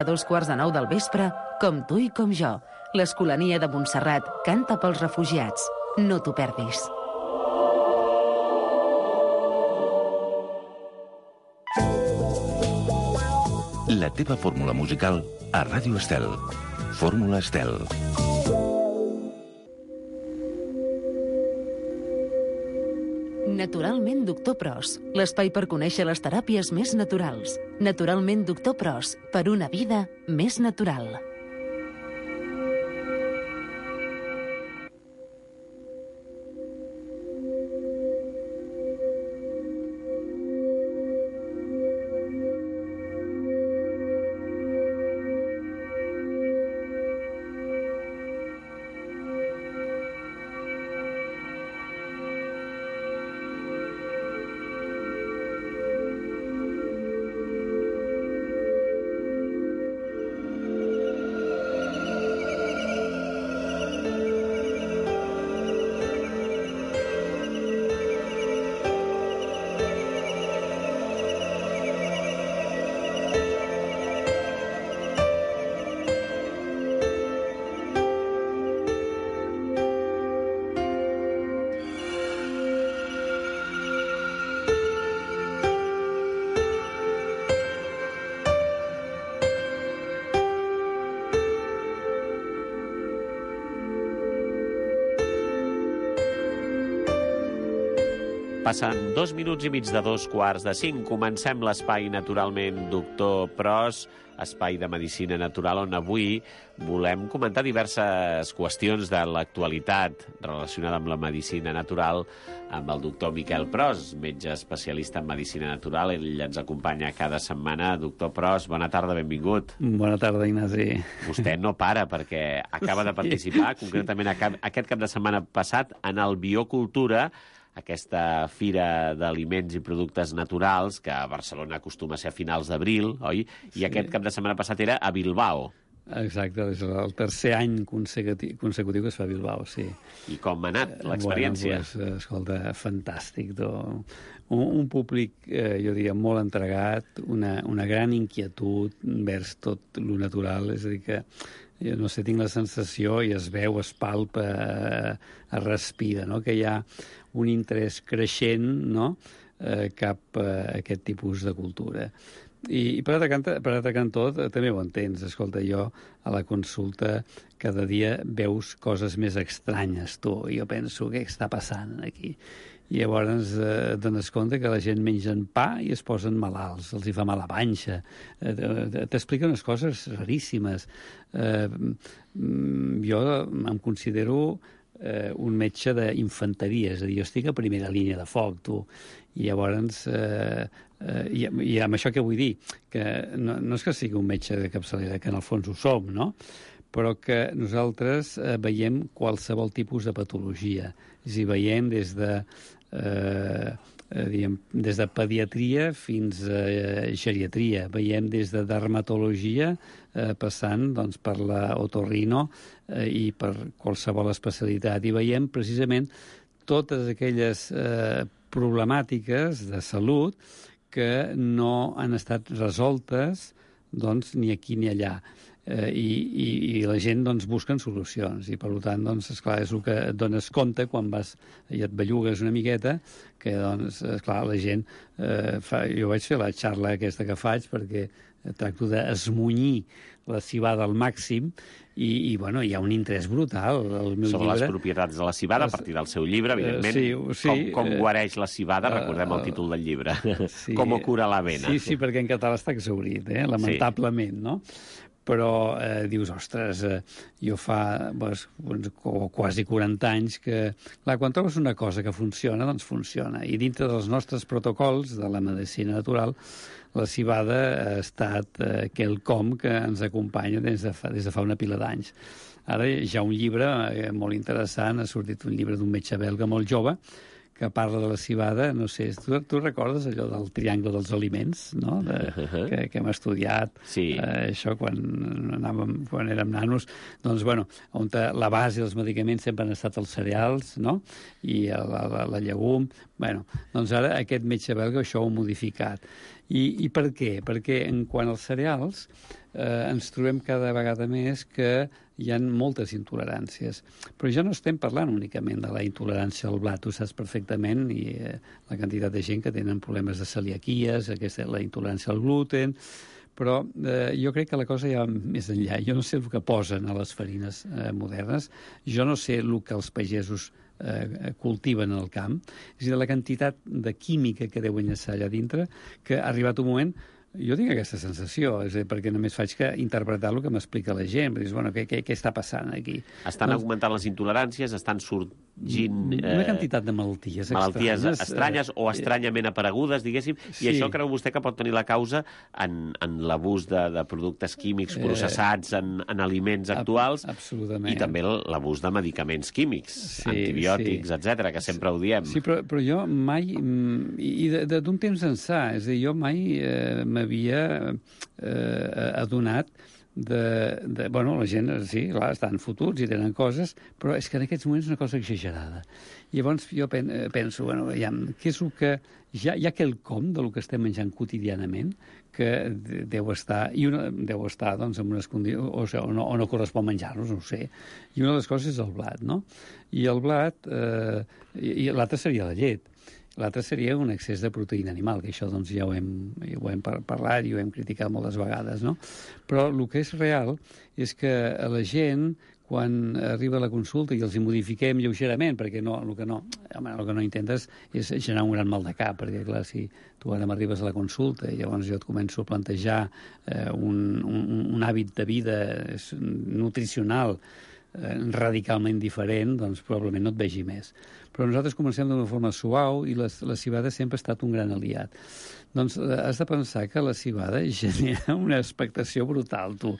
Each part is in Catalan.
A 8:45 del vespre, Com tu i com jo. L'Escolania de Montserrat canta pels refugiats. No t'ho perdis. La teva fórmula musical a Ràdio Estel. Fórmula Estel. Naturalment Doctor Pros, l'espai per conèixer les teràpies més naturals. Naturalment Doctor Pros, per una vida més natural. Passen 2 minuts i mig de 4:45. Comencem l'espai Naturalment Doctor Pros, espai de medicina natural, on avui volem comentar diverses qüestions de l'actualitat relacionada amb la medicina natural amb el doctor Miquel Pros, metge especialista en medicina natural. Ell ens acompanya cada setmana. Doctor Pros, bona tarda, benvingut. Bona tarda, Ignasi. Vostè no para perquè acaba de participar, concretament aquest cap de setmana passat, en el Biocultura, aquesta fira d'aliments i productes naturals que a Barcelona acostuma a ser a finals d'abril, oi? I aquest cap de setmana passat era a Bilbao. Exacte, és el tercer any consecutiu que es fa a Bilbao, sí. I com ha anat l'experiència? Bueno, escolta, fantàstic. Un públic, jo diria, molt entregat, una gran inquietud vers tot lo natural, és a dir que jo no sé, tinc la sensació, i es veu, es palpa, es respira, no?, que hi ha un interès creixent, no?, cap a aquest tipus de cultura. I per altre cantó també ho entens. Escolta, jo a la consulta cada dia veus coses més estranyes, tu. Jo penso, què està passant aquí? I llavors dones compte que la gent mengen pa i es posen malalts, els hi fa mal a panxa. T'explica unes coses raríssimes. Jo em considero un metge d'infanteria, és a dir, jo estic a primera línia de foc, tu. I llavors, i amb això què vull dir? Que no és que sigui un metge de capçalera, que en el fons ho som, no?, però que nosaltres veiem qualsevol tipus de patologia. És a dir, veiem des de pediatria fins a geriatria, veiem des de dermatologia passant doncs, per la otorrino i per qualsevol especialitat, i veiem precisament totes aquelles problemàtiques de salut que no han estat resoltes doncs, ni aquí ni allà. I la gent doncs, busquen solucions, i per tant doncs, esclar, és el que et dones compte quan vas i et bellugues una miqueta, que doncs, esclar, la gent jo vaig fer la xarla aquesta que faig perquè tracto d'esmunyir la civada al màxim, i bueno, hi ha un interès brutal al meu sobre llibre. Les propietats de la civada, a partir del seu llibre, evidentment. Sí, com guareix la civada, recordem el títol del llibre. Sí, com ho cura la vena. Sí, perquè en català està exhaurit, lamentablement, no? Però dius, ostres, jo fa quasi 40 anys que... Clar, quan trobes una cosa que funciona, doncs funciona. I dintre dels nostres protocols de la medicina natural, la civada ha estat quelcom que ens acompanya des de fa una pila d'anys. Ara hi ha un llibre molt interessant, ha sortit un llibre d'un metge belga molt jove, que parla de la civada, no sé, tu recordes allò del triangle dels aliments, no?, que hem estudiat, sí. Això quan érem nanos, doncs, bueno, on la base dels medicaments sempre han estat els cereals, no?, i la llegum. Bueno, doncs ara aquest metge belga això ho ha modificat. I per què? Perquè en quant als cereals ens trobem cada vegada més que hi ha moltes intoleràncies. Però ja no estem parlant únicament de la intolerància al blat, tu saps perfectament, i la quantitat de gent que tenen problemes de celiaquies, la intolerància al gluten, però jo crec que la cosa ja va més enllà. Jo no sé el que posen a les farines modernes, jo no sé el que els pagesos cultiven al camp, és a dir, la quantitat de química que deuen llançar allà dintre, que ha arribat un moment. Jo tinc aquesta sensació, és a dir, perquè només faig que interpretar el que m'explica la gent. Dius, bueno, què està passant aquí? Estan augmentant les intoleràncies, estan sorgint... Una quantitat de malalties estranyes o estranyament aparegudes, diguéssim, i això creu vostè que pot tenir la causa en l'abús de productes químics processats en aliments actuals. Absolutament. I també l'abús de medicaments químics, antibiòtics, etcètera, que sempre ho diem. Sí, però jo mai... I d'un temps ençà, és a dir, jo mai m'havia adonat bueno, la gent, sí, clar, estan fotuts i tenen coses, però és que en aquests moments és una cosa exagerada. I llavors jo penso, bueno, veiem, què és el que... Hi ha quelcom del que estem menjant quotidianament que deu estar, doncs, en unes condicions, o no correspon menjar-nos, no ho sé. I una de les coses és el blat, no? I el blat, i l'altre seria la llet. L'altre seria un excés de proteïna animal, que això doncs, ja ho hem parlat i ho hem criticat moltes vegades, no? Però el que és real és que a la gent, quan arriba a la consulta i els hi modifiquem lleugerament, perquè el que no intentes és generar un gran mal de cap, perquè clar, si tu ara m'arribes a la consulta i llavors jo et començo a plantejar un hàbit de vida nutricional radicalment diferent, doncs probablement no et vegi més. Però nosaltres comencem d'una forma suau i la civada sempre ha estat un gran aliat. Doncs has de pensar que la civada genera una expectació brutal, tu.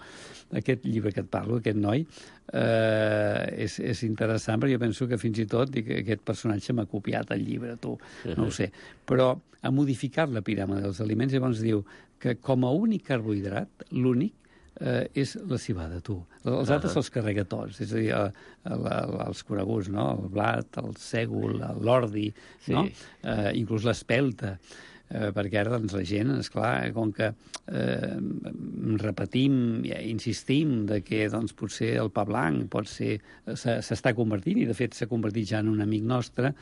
Aquest llibre que et parlo, aquest noi, és interessant, perquè jo penso que fins i tot aquest personatge m'ha copiat el llibre, tu, no ho sé. Però ha modificat la piràmide dels aliments, llavors diu que com a únic carbohidrat, l'únic, és la civada, tu. Els altres se'ls carrega tots, és a dir, els coneguts, no? El blat, el sègol, l'ordi, no? Inclús l'espelta. Perquè ara doncs, la gent, esclar, com que repetim, insistim de que doncs, potser el pa blanc s'està convertint, i de fet s'ha convertit ja en un amic nostre,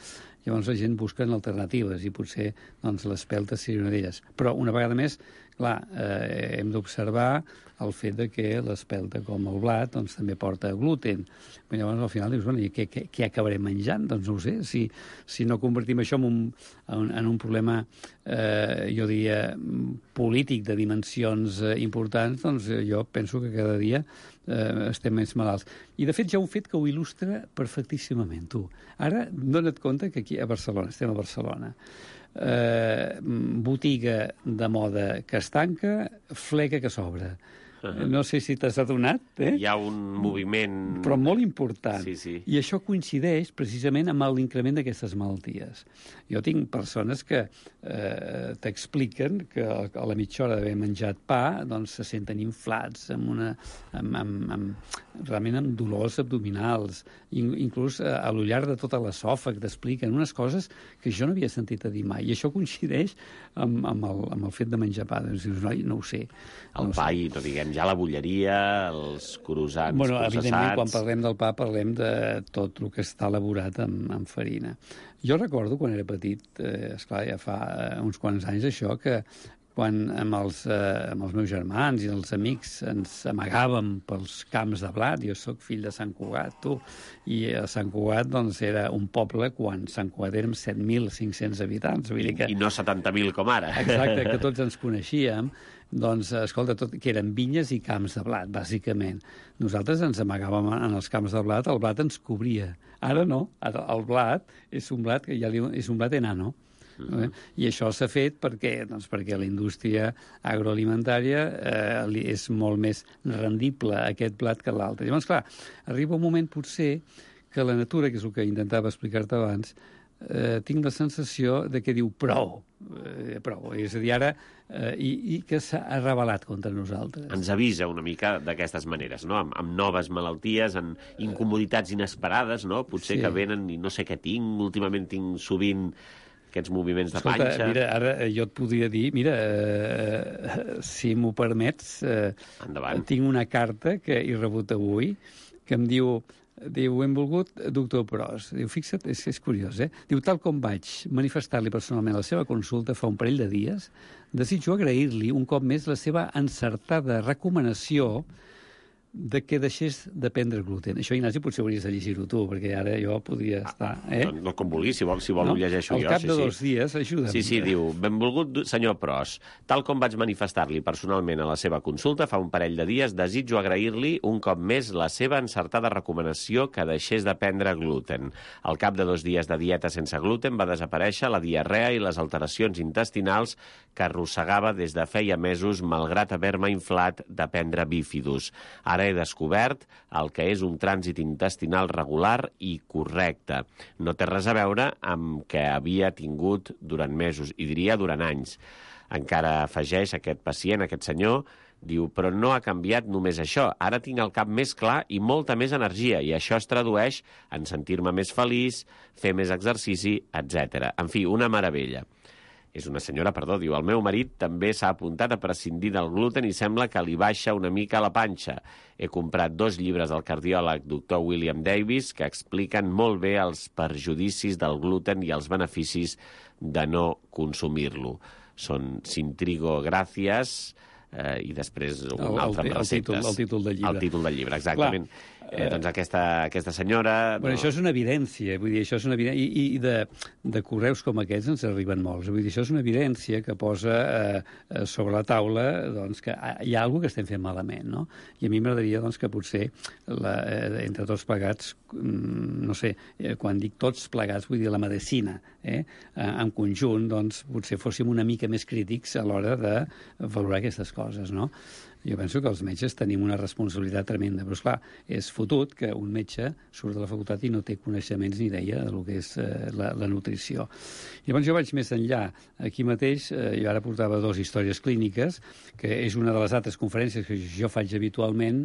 llavors la gent busca alternatives i potser doncs, l'espelta seria una d'elles. Però una vegada més, clar, hem d'observar el fet de que l'espelta com el blat doncs, també porta gluten. Però llavors al final dius, bueno, i què acabarem menjant? Doncs no ho sé, si no convertim això en un problema, jo diria, polític de dimensions importants, doncs jo penso que cada dia estem més malalts. I de fet hi ha un fet que ho il·lustra perfectíssimament, tu. Ara dona't compte que aquí a Barcelona, estem a Barcelona, botiga de moda que es tanca, fleca que s'obre. No sé si t'has adonat. Hi ha un moviment... Però molt important. Sí. I això coincideix precisament amb l'increment d'aquestes malalties. Jo tinc persones que t'expliquen que a la mitja hora d'haver menjat pa doncs se senten inflats, realment amb dolors abdominals, inclús a l'ullar de tota l'esòfag t'expliquen unes coses que jo no havia sentit a dir mai. I això coincideix amb el fet de menjar pa. Doncs dius, no ho sé. El pa i, no diguem, ja la bulleria, els croissants processats... Evidentment, quan parlem del pa, parlem de tot el que està elaborat amb farina. Jo recordo, quan era petit, esclar, ja fa uns quants anys, això, que quan amb els meus germans i els amics ens amagàvem pels camps de blat, jo sóc fill de Sant Cugat, tu, i a Sant Cugat doncs, era un poble quan Sant Cugat érem 7.500 habitants. Vull dir que... I no 70.000 com ara. Exacte, que tots ens coneixíem. Doncs, escolta, que eren vinyes i camps de blat, bàsicament. Nosaltres ens amagàvem en els camps de blat, el blat ens cobria. Ara no, ara el blat és un blat que ja és un blat enano. I això s'ha fet perquè la indústria agroalimentària és molt més rendible aquest blat que l'altre. Llavors, clar, arriba un moment potser que la natura, que és el que intentava explicar-te abans, tinc la sensació de que diu prou. És a dir, ara i que s'ha rebel·lat contra nosaltres. Ens avisa una mica d'aquestes maneres, no? Amb noves malalties, amb incomoditats inesperades, no? Potser que venen i no sé què tinc, últimament tinc sovint aquests moviments de Escolta, panxa... mira, ara jo et podria dir, mira, si m'ho permets, Endavant. tinc una carta que he rebut avui que em diu, benvolgut doctor Pros. Diu, fixa't, és curiós, Diu, tal com vaig manifestar-li personalment la seva consulta fa un parell de dies, desitjo agrair-li un cop més la seva encertada recomanació de que deixés de prendre gluten. Això, Ignasi, potser hauries de llegir-ho tu, perquè ara jo podria estar... No, com vulgui, si vol ho llegeixo jo. Al cap de 2 dies, ajuda'm. Sí, diu, benvolgut senyor Pros, tal com vaig manifestar-li personalment a la seva consulta fa un parell de dies, desitjo agrair-li un cop més la seva encertada recomanació que deixés de prendre gluten. Al cap de 2 dies de dieta sense gluten va desaparèixer la diarrea i les alteracions intestinals que arrossegava des de feia mesos, malgrat haver-me inflat de prendre bífidus. Ara he descobert el que és un trànsit intestinal regular i correcte. No té res a veure amb què havia tingut durant mesos, i diria durant anys. Encara afegeix aquest pacient, aquest senyor, diu, però no ha canviat només això. Ara tinc el cap més clar i molta més energia, i això es tradueix en sentir-me més feliç, fer més exercici, etc. En fi, una meravella. És una senyora, diu, el meu marit també s'ha apuntat a prescindir del gluten i sembla que li baixa una mica la panxa. He comprat 2 llibres del cardiòleg Dr. William Davis que expliquen molt bé els perjudicis del gluten i els beneficis de no consumir-lo. Són Sintrigo Gràcies i després un altre amb receptes. El títol del llibre. El títol del llibre, exactament. Doncs aquesta senyora... Bueno, això és una evidència, vull dir, això és una evidència, i de correus com aquests ens arriben molts. Vull dir, això és una evidència que posa sobre la taula doncs, que hi ha alguna que estem fent malament, no? I a mi m'agradaria doncs, que potser, entre tots plegats, no sé, quan dic tots plegats, vull dir la medicina, en conjunt, doncs, potser fóssim una mica més crítics a l'hora de valorar aquestes coses, no? Jo penso que els metges tenim una responsabilitat tremenda, però esclar, és fotut que un metge surt de la facultat i no té coneixements ni idea del que és la nutrició. Llavors jo vaig més enllà. Aquí mateix, jo ara portava 2 històries clíniques, que és una de les altres conferències que jo faig habitualment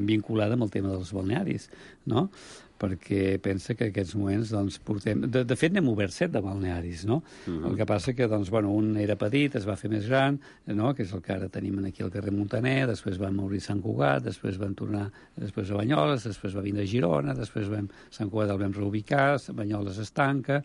vinculada amb el tema dels balnearis, no? Perquè pensa que en aquests moments doncs, portem... De fet, n'hem obert 7 de balnearis, no? El que passa que doncs, bueno, un era petit, es va fer més gran, no? Que és el que ara tenim aquí al carrer Montaner, després vam obrir Sant Cugat, després vam tornar després a Banyoles, després va vindre a Girona, després Sant Cugat el vam reubicar, Banyoles es tanca,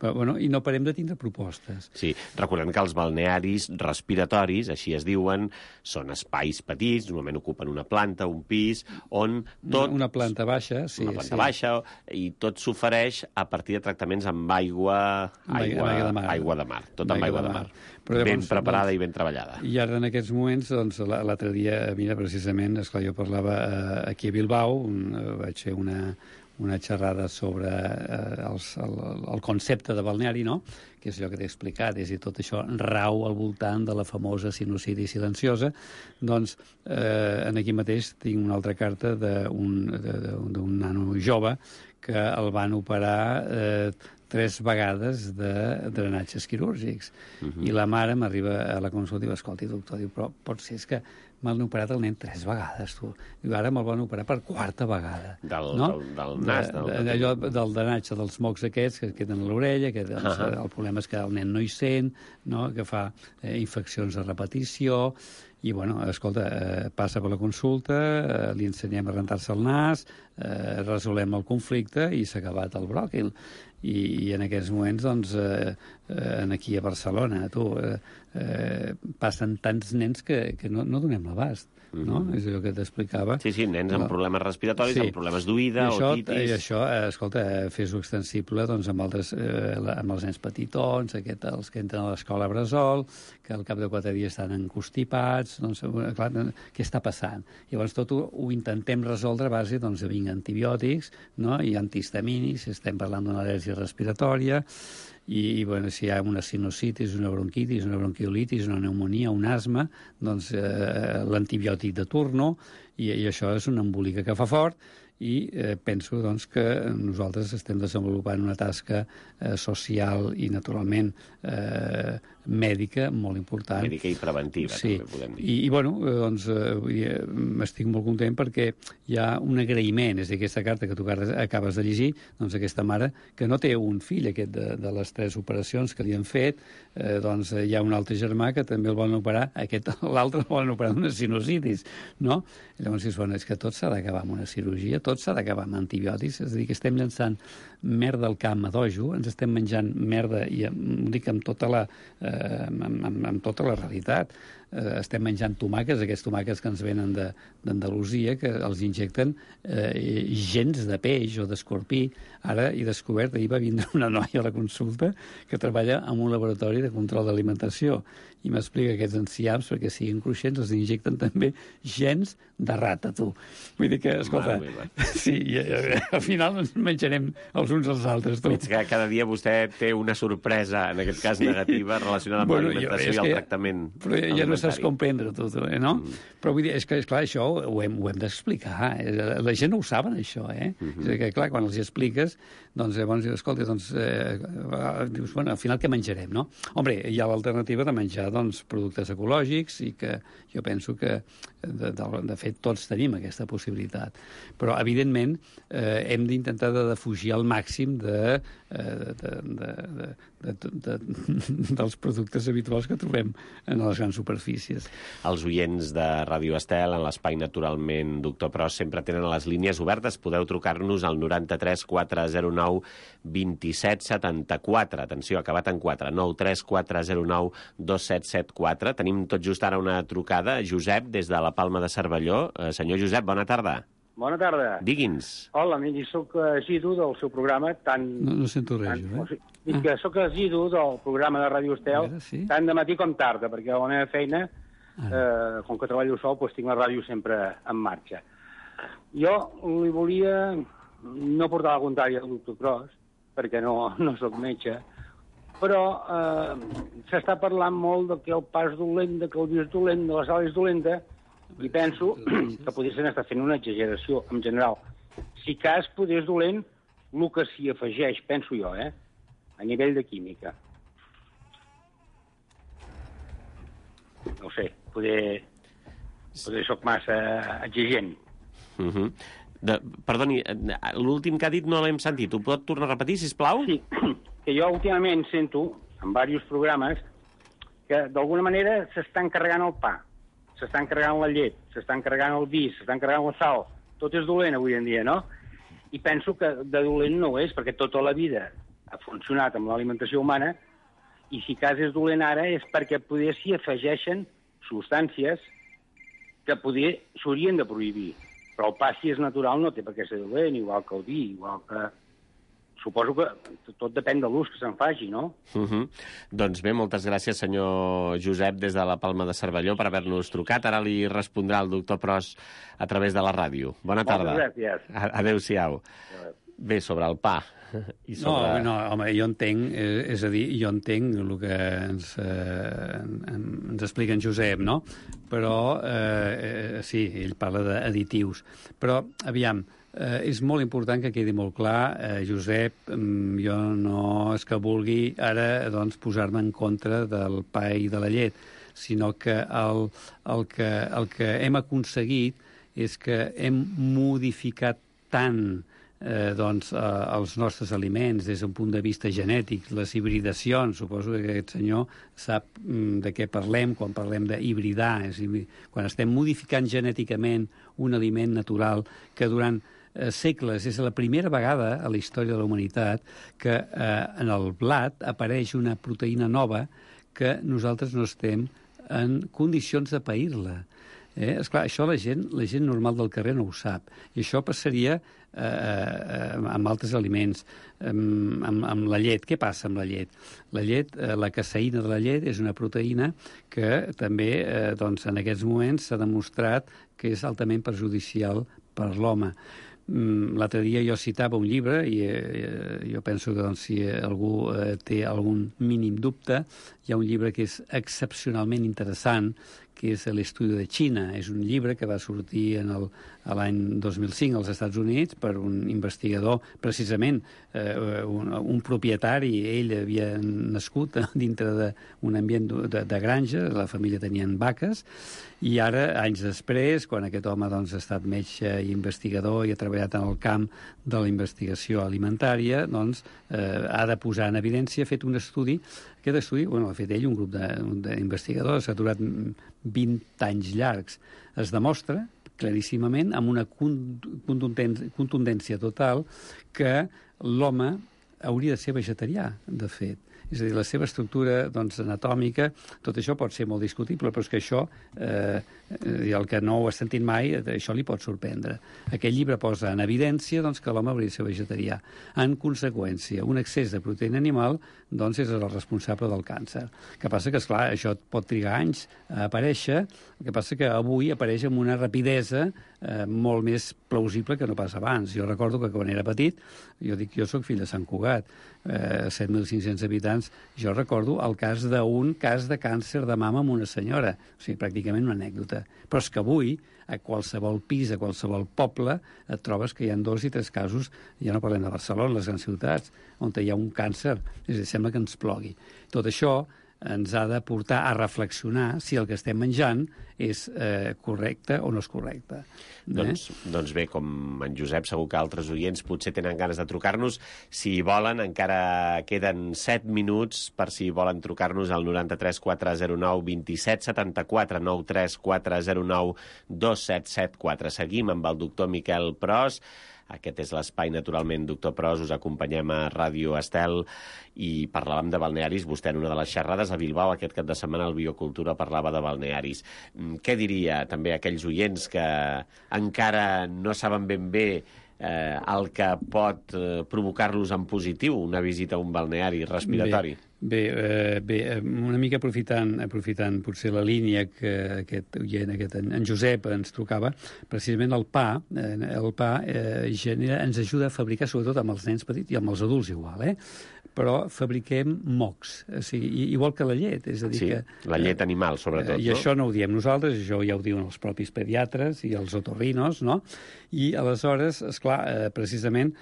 però, bueno, i no parem de tindre propostes. Sí, recordem que els balnearis respiratoris, així es diuen, són espais petits, normalment ocupen una planta, un pis, on tot... Una planta baixa, sí. Una planta baixa, i tot s'ofereix a partir de tractaments amb aigua de mar. Tot amb aigua de mar. Però ben preparada i ben treballada. I ara en aquests moments, doncs, l'altre dia, mira, precisament, esclar, jo parlava aquí a Bilbao, vaig fer una xerrada sobre el concepte de balneari, no?, que és allò que t'he explicat, és a dir, tot això rau al voltant de la famosa sinusitis silenciosa. Doncs aquí mateix tinc una altra carta d'un nano jove que el van operar 3 vegades de drenatges quirúrgics. I la mare m'arriba a la consulta i diu, escolti, doctor, però pot ser que m'han operat el nen 3 vegades, tu. I ara me'l van operar per 4a vegada. Del nas? Allò del drenatge dels mocs aquests que queden a l'orella, que doncs, el problema és que el nen no hi sent, no? Que fa infeccions de repetició, i, bueno, escolta, passa per la consulta, li ensenyem a rentar-se el nas, resolem el conflicte i s'ha acabat el bròquil. I en aquests moments, doncs, aquí a Barcelona, passen tants nens que no donem l'abast, no? És allò que t'explicava. Sí, nens amb problemes respiratoris, amb problemes d'oïda, otitis... I això, escolta, fes-ho extensible doncs, amb els nens petitons, els que entren a l'escola Bressol, que al cap de 4 dies estan encostipats, doncs, clar, què està passant? Llavors tot ho intentem resoldre a base doncs, de vinc antibiòtics, no? I antihistamínics, estem parlant d'una al·lèrgia respiratòria, i bueno, si hi ha una sinusitis, una bronquitis, una bronquiolitis, una pneumonia, un asma, doncs l'antibiòtic de turno, i això és una embolica que fa fort, i penso doncs, que nosaltres estem desenvolupant una tasca social i, naturalment, mèdica molt important. Mèdica i preventiva, sí. també podem dir. I bueno, doncs, estic molt content perquè hi ha un agraïment, és a dir, aquesta carta que tu acabes de llegir, doncs aquesta mare, que no té un fill, aquest de les 3 operacions que li han fet, doncs hi ha un altre germà que també el volen operar, l'altre el volen operar d'una sinusitis, no? I llavors dius, bueno, és que tot s'ha d'acabar amb una cirurgia, tot s'ha d'acabar amb antibiòtics, és a dir, que estem llançant merda al camp a dojo, ens estem menjant merda, i ho dic amb tota la realitat. Estem menjant tomàquets, aquests tomàquets que ens venen d'Andalusia, que els injecten gens de peix o d'escorpí. Ara he descobert, ahir va vindre una noia a la consulta que treballa en un laboratori de control d'alimentació i m'explica que aquests enciams, perquè siguin cruixents, els injecten també gens de rata, tu. Vull dir que, escolta, sí, al final ens menjarem els uns als altres, tu. Veig que cada dia vostè té una sorpresa, en aquest cas negativa, relacionada amb l'alimentació i el tractament. Però ja no saps comprendre tot, no? Però vull dir, és que, esclar, això ho hem d'explicar. La gent no ho saben, això, eh? És que, clar, quan els expliques, doncs llavors dius, escolta, doncs, dius, bueno, al final què menjarem, no? Hombre, hi ha l'alternativa de menjar, doncs, productes ecològics i que jo penso que, de fet, tots tenim aquesta possibilitat. Però, evidentment, hem d'intentar de defugir al màxim dels productes habituals que trobem en les grans superfícies. Els oients de Ràdio Estel, en l'espai Naturalment Doctor Pros, sempre tenen les línies obertes. Podeu trucar-nos al 93 409 27 74. Atenció, acabat en 4. 93 409 2774. Tenim tot just ara una trucada. Josep, des de la Palma de Cervelló. Senyor Josep, bona tarda. Bona tarda. Digui'ns. Hola, miri, soc assidu del seu programa, tant... No sento res, Dic que soc assidu del programa de Ràdio Estel, tant de matí com tarda, perquè a la meva feina, com que treballo sol, doncs tinc la ràdio sempre en marxa. Jo li volia no portar la contrària al doctor Pros, perquè no soc metge, però s'està parlant molt de que el pas dolent, de que el vi és dolent, de la sal és dolenta, i penso que podrien estar fent una exageració en general. Si cas podés dolent, el que s'hi afegeix, penso jo, a nivell de química. No ho sé, poder soc massa exigent. Perdoni, l'últim que ha dit no l'hem sentit. Ho pot tornar a repetir, sisplau? Sí, que jo últimament sento, en diversos programes, que d'alguna manera s'estan carregant el pa, s'estan carregant la llet, s'estan carregant el vi, s'estan carregant la sal. Tot és dolent avui en dia, no? I penso que de dolent no ho és, perquè tota la vida ha funcionat amb l'alimentació humana, i si cas és dolent ara és perquè poder s'hi afegeixen substàncies que poder s'haurien de prohibir. Però el pa, si és natural, no té per què ser dolent, igual que el vi, igual que... Suposo que tot depèn de l'ús que se'n faci, no? Doncs bé, moltes gràcies, senyor Josep, des de la Palma de Cervelló, per haver-nos trucat. Ara li respondrà el doctor Pros a través de la ràdio. Bona tarda. Moltes gràcies. Adéu-siau. Bé, sobre el pa. I sobre... No, home, jo entenc, és a dir, jo entenc el que ens explica en Josep, no? Però, sí, ell parla d'additius. Però, aviam, és molt important que quedi molt clar, Josep, jo no és que vulgui ara doncs, posar-me en contra del pa i de la llet, sinó que el que hem aconseguit és que hem modificat tant els nostres aliments des d'un punt de vista genètic, les hibridacions, suposo que aquest senyor sap de què parlem quan parlem d'hibridar, és a dir, quan estem modificant genèticament un aliment natural que durant segles és la primera vegada a la història de la humanitat que en el blat apareix una proteïna nova que nosaltres no estem en condicions de pair-la. Esclar, això la gent normal del carrer no ho sap. I això passaria amb altres aliments, amb la llet. Què passa amb la llet? La llet, la caseïna de la llet és una proteïna que també en aquests moments s'ha demostrat que és altament perjudicial per l'home. L'altre dia jo citava un llibre i jo penso que si algú té algun mínim dubte, hi ha un llibre que és excepcionalment interessant, que és l'Estudio de Xina. És un llibre que va sortir l'any 2005 als Estats Units per un investigador, precisament un propietari. Ell havia nascut dintre d'un ambient de granja, la família tenien vaques, i ara, anys després, quan aquest home ha estat metge i investigador i ha treballat en el camp de la investigació alimentària, ha de posar en evidència, ha fet un estudi. Aquest estudi, l'ha fet ell, un grup d'investigadors, ha durat 20 anys llargs. Es demostra claríssimament, amb una contundència total, que l'home hauria de ser vegetarià, de fet. És a dir, la seva estructura anatòmica, tot això pot ser molt discutible, però és que això, el que no ho ha sentit mai, això li pot sorprendre. Aquest llibre posa en evidència que l'home hauria de ser vegetarià. En conseqüència, un excés de proteïna animal és el responsable del càncer. El que passa que, esclar, això pot trigar anys a aparèixer, el que passa que avui apareix amb una rapidesa molt més plausible que no pas abans. Jo recordo que quan era petit, jo soc fill de Sant Cugat, 7.500 habitants, jo recordo el cas d'un cas de càncer de mama amb una senyora, o sigui, pràcticament una anècdota. Però és que avui, a qualsevol pis, a qualsevol poble, et trobes que hi ha 2 i 3 casos, ja no parlem de Barcelona, les grans ciutats, on hi ha un càncer, és a dir, sembla que ens plogui. Tot això ens ha de portar a reflexionar si el que estem menjant és correcte o no és correcte. Doncs bé, com en Josep, segur que altres oients potser tenen ganes de trucar-nos. Si volen, encara queden 7 minuts per si volen trucar-nos al 93 409 27 74 93 409 2774. Seguim amb el doctor Miquel Pros. Aquest és l'espai, naturalment, doctor Pros. Us acompanyem a Ràdio Estel i parlàvem de balnearis. Vostè en una de les xerrades a Bilbao aquest cap de setmana al Biocultura parlava de balnearis. Què diria també a aquells oients que encara no saben ben bé el que pot provocar-los en positiu una visita a un balneari respiratori? Bé, una mica aprofitant potser la línia que aquest oient, en Josep, ens trucava, precisament el pa ens ajuda a fabricar, sobretot amb els nens petits i amb els adults igual, però fabriquem mocs, o sigui, igual que la llet. És a dir, sí, la llet animal, sobretot. I això no ho diem nosaltres, això ja ho diuen els propis pediatres i els otorrinos, no? I aleshores, esclar, precisament,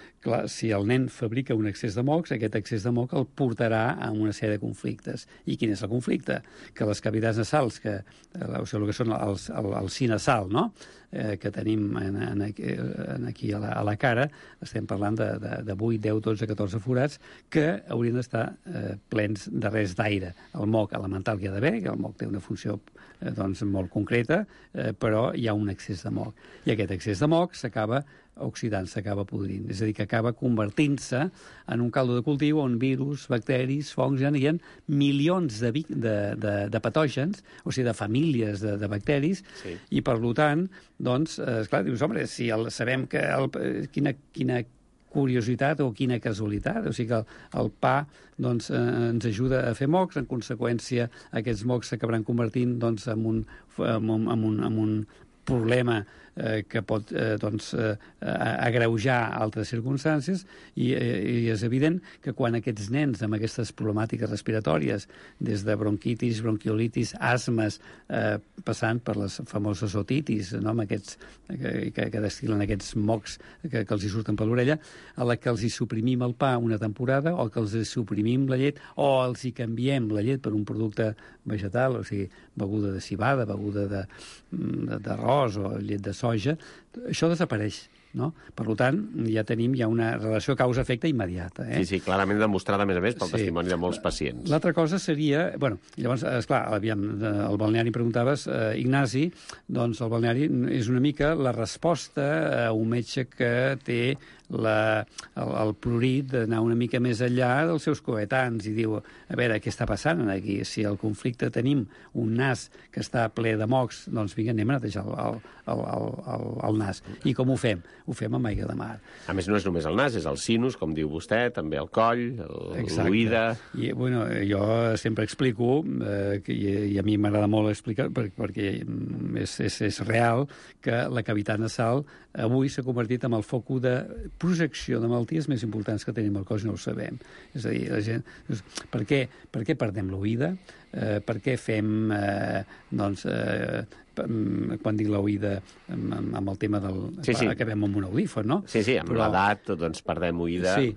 si el nen fabrica un excés de mocs, aquest excés de moc el portarà a una sèrie de conflictes. I quin és el conflicte? Que les cavitats nasals, o sigui, el que són el sinasal, no?, que tenim aquí a la cara, estem parlant de 8, 10, 12, 14 forats, que haurien d'estar plens de res d'aire. El moc elemental que hi ha d'haver, que el moc té una funció molt concreta, però hi ha un excés de moc. I aquest excés de moc s'acaba oxidant, s'acaba podrint. És a dir, que acaba convertint-se en un caldo de cultiu on virus, bacteris, fongs, hi ha milions de patògens, o sigui, de famílies de bacteris, sí. I per tant, esclar, dius, home, si sabem que quina curiositat o quina casualitat, o sigui que el pa ens ajuda a fer mocs, en conseqüència aquests mocs s'acabaran convertint en un problema que pot agreujar altres circumstàncies i és evident que quan aquests nens amb aquestes problemàtiques respiratòries, des de bronquitis, bronquiolitis, asmes, passant per les famoses otitis, no? Amb aquests que destil·len aquests mocs que els hi surten per l'orella, a la que els hi suprimim el pa una temporada o que els hi suprimim la llet o els hi canviem la llet per un producte vegetal, o sigui, beguda de civada, beguda d'arròs o llet de soja, això desapareix. No? Per tant, ja tenim una relació causa-efecte immediata. Sí, clarament demostrada, a més a més, pel testimoni de molts pacients. L'altra cosa seria... Llavors, esclar, el balneari preguntaves, Ignasi, doncs el balneari és una mica la resposta a un metge que té el prurit d'anar una mica més enllà dels seus coetans i diu, a veure, què està passant aquí? Si al conflicte tenim un nas que està ple de mocs, doncs vinga, anem a netejar el nas. I com ho fem? ho fem amb aigua de mar. A més, no és només el nas, és el sinus, com diu vostè, també el coll, l'oïda... I, bueno, jo sempre explico, i a mi m'agrada molt explicar, perquè és real, que la cavitat nasal avui s'ha convertit en el focus de projecció de malalties més importants que tenim al cos i no ho sabem. És a dir, la gent... Per què perdem l'oïda? Per què fem, quan dic l'oïda, amb el tema del... Sí. Acabem amb un audífon, no? Sí, amb l'edat doncs perdem oïda. Sí,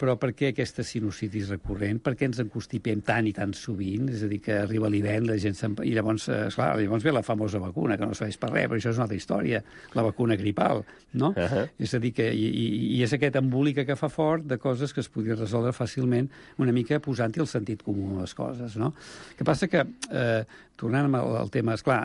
però per què aquesta sinusitis recurrent? Per què ens encostipem tant i tan sovint? És a dir, que arriba l'hivern, la gent i llavors, esclar, llavors ve la famosa vacuna, que no serveix per res, però això és una altra història, la vacuna gripal, no? És a dir, que i és aquest embolic que fa fort de coses que es podrien resoldre fàcilment una mica posant-hi el sentit comú a les coses, no? El que passa que, tornant al tema, esclar,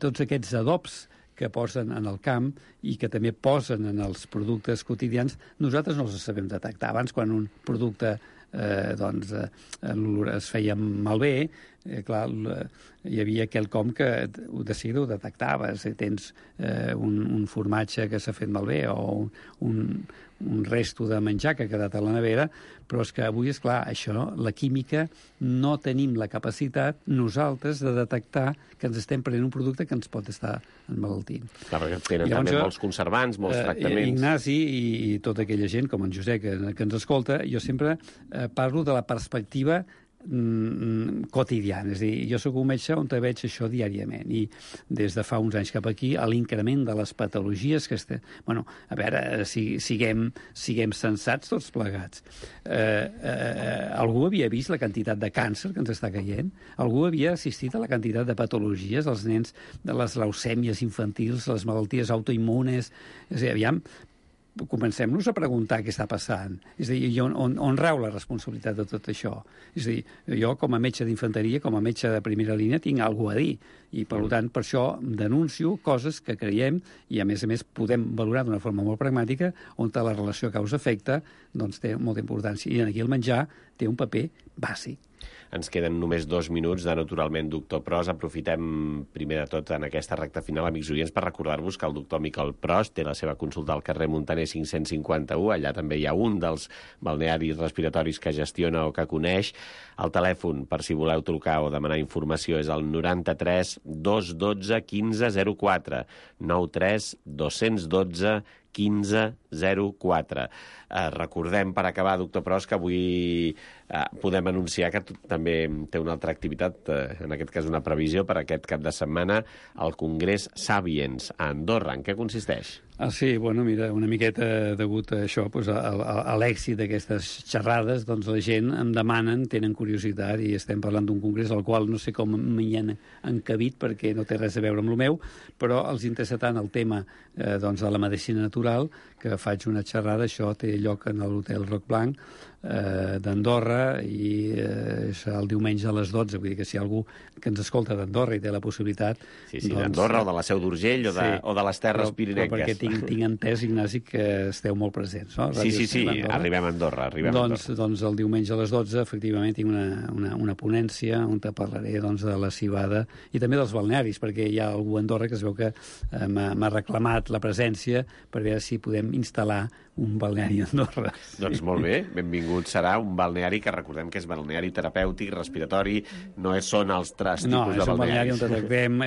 tots aquests adobs que posen en el camp i que també posen en els productes quotidians, nosaltres no els sabem detectar. Abans, quan un producte es feia malbé, clar, hi havia quelcom que de seguida ho detectaves. Tens un formatge que s'ha fet malbé o un resto de menjar que ha quedat a la nevera, però és que avui, esclar, això, la química, no tenim la capacitat nosaltres de detectar que ens estem prenent un producte que ens pot estar emmalaltint. Clar, perquè tenen també molts conservants, molts tractaments. Ignasi i tota aquella gent, com en Josep, que ens escolta, jo sempre parlo de la perspectiva quotidiana. És a dir, jo soc un metge on veig això diàriament i des de fa uns anys cap aquí l'increment de les patologies que bueno, a veure, siguem sensats tots plegats. Algú havia vist la quantitat de càncer que ens està caient? Algú havia assistit a la quantitat de patologies als nens, de les leucèmies infantils, les malalties autoimmunes? És a dir, aviam, comencem-nos a preguntar què està passant. És a dir, on rau la responsabilitat de tot això? És a dir, jo com a metge d'infanteria, com a metge de primera línia, tinc alguna a dir. I, per tant, per això denuncio coses que creiem i, a més, podem valorar d'una forma molt pragmàtica on la relació causa-efecte doncs, té molta importància. I aquí el menjar té un paper bàsic. Ens queden només 2 minuts de Naturalment Doctor Pros. Aprofitem, primer de tot, en aquesta recta final, amics oients, per recordar-vos que el doctor Miquel Pros té la seva consulta al carrer Muntaner 551. Allà també hi ha un dels balnearis respiratoris que gestiona o que coneix. El telèfon, per si voleu trucar o demanar informació, és el 93 212 1504. 93 212 1504. Recordem, per acabar, doctor Pros, que avui podem anunciar que també té una altra activitat, en aquest cas una previsió per aquest cap de setmana, el Congrés Sapiens a Andorra. En què consisteix? Sí, bueno, mira, una miqueta degut a això, doncs, a l'èxit d'aquestes xerrades, doncs la gent em demanen, tenen curiositat, i estem parlant d'un congrés al qual no sé com m'hi han encabit perquè no té res a veure amb el meu, però els interessa tant el tema doncs, de la medicina natural, que faig una xerrada, això té lloc en l'Hotel Roc Blanc d'Andorra i serà el diumenge a les 12, vull dir que si hi ha algú que ens escolta d'Andorra i té la possibilitat... Sí, doncs, d'Andorra o de la Seu d'Urgell o de les Terres Pirinenques. Perquè tinc entès, Ignasi, que esteu molt presents, no? Sí, arribem a Andorra. Doncs el diumenge a les 12, efectivament, tinc una ponència on te parlaré doncs, de la civada i també dels balnearis, perquè hi ha algú a Andorra que es veu que m'ha reclamat la presència per veure si podem instal·lar un balneari a Andorra. Doncs molt bé, benvingut serà un balneari que recordem que és balneari terapèutic, respiratori, no són els tres tipus de balnearis. No, és un balneari on tractem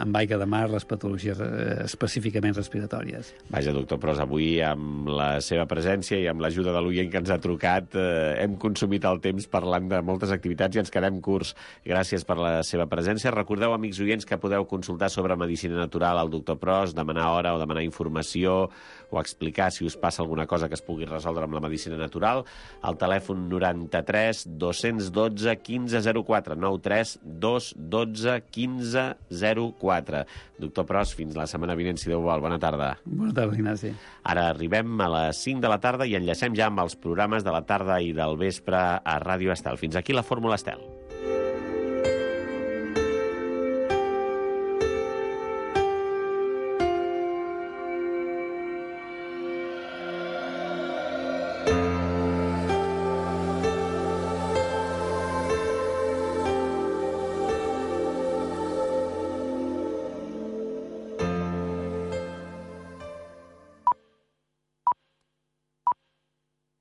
amb aigua de mar les patologies específicament respiratòries. Vaja, doctor Pros, avui amb la seva presència i amb l'ajuda de l'oient que ens ha trucat hem consumit el temps parlant de moltes activitats i ens quedem curts. Gràcies per la seva presència. Recordeu, amics oients, que podeu consultar sobre medicina natural al doctor Pros, demanar hora o demanar informació o explicar si us passa alguna cosa que es pugui resoldre amb la medicina natural. Al telèfon 93 212 1504, 93 212 1504. Doctor Pros, fins la setmana vinent, si Déu vol. Bona tarda. Bona tarda, Ignasi. Ara arribem a les 5 de la tarda i enllacem ja amb els programes de la tarda i del vespre a Ràdio Estel. Fins aquí la Fórmula Estel.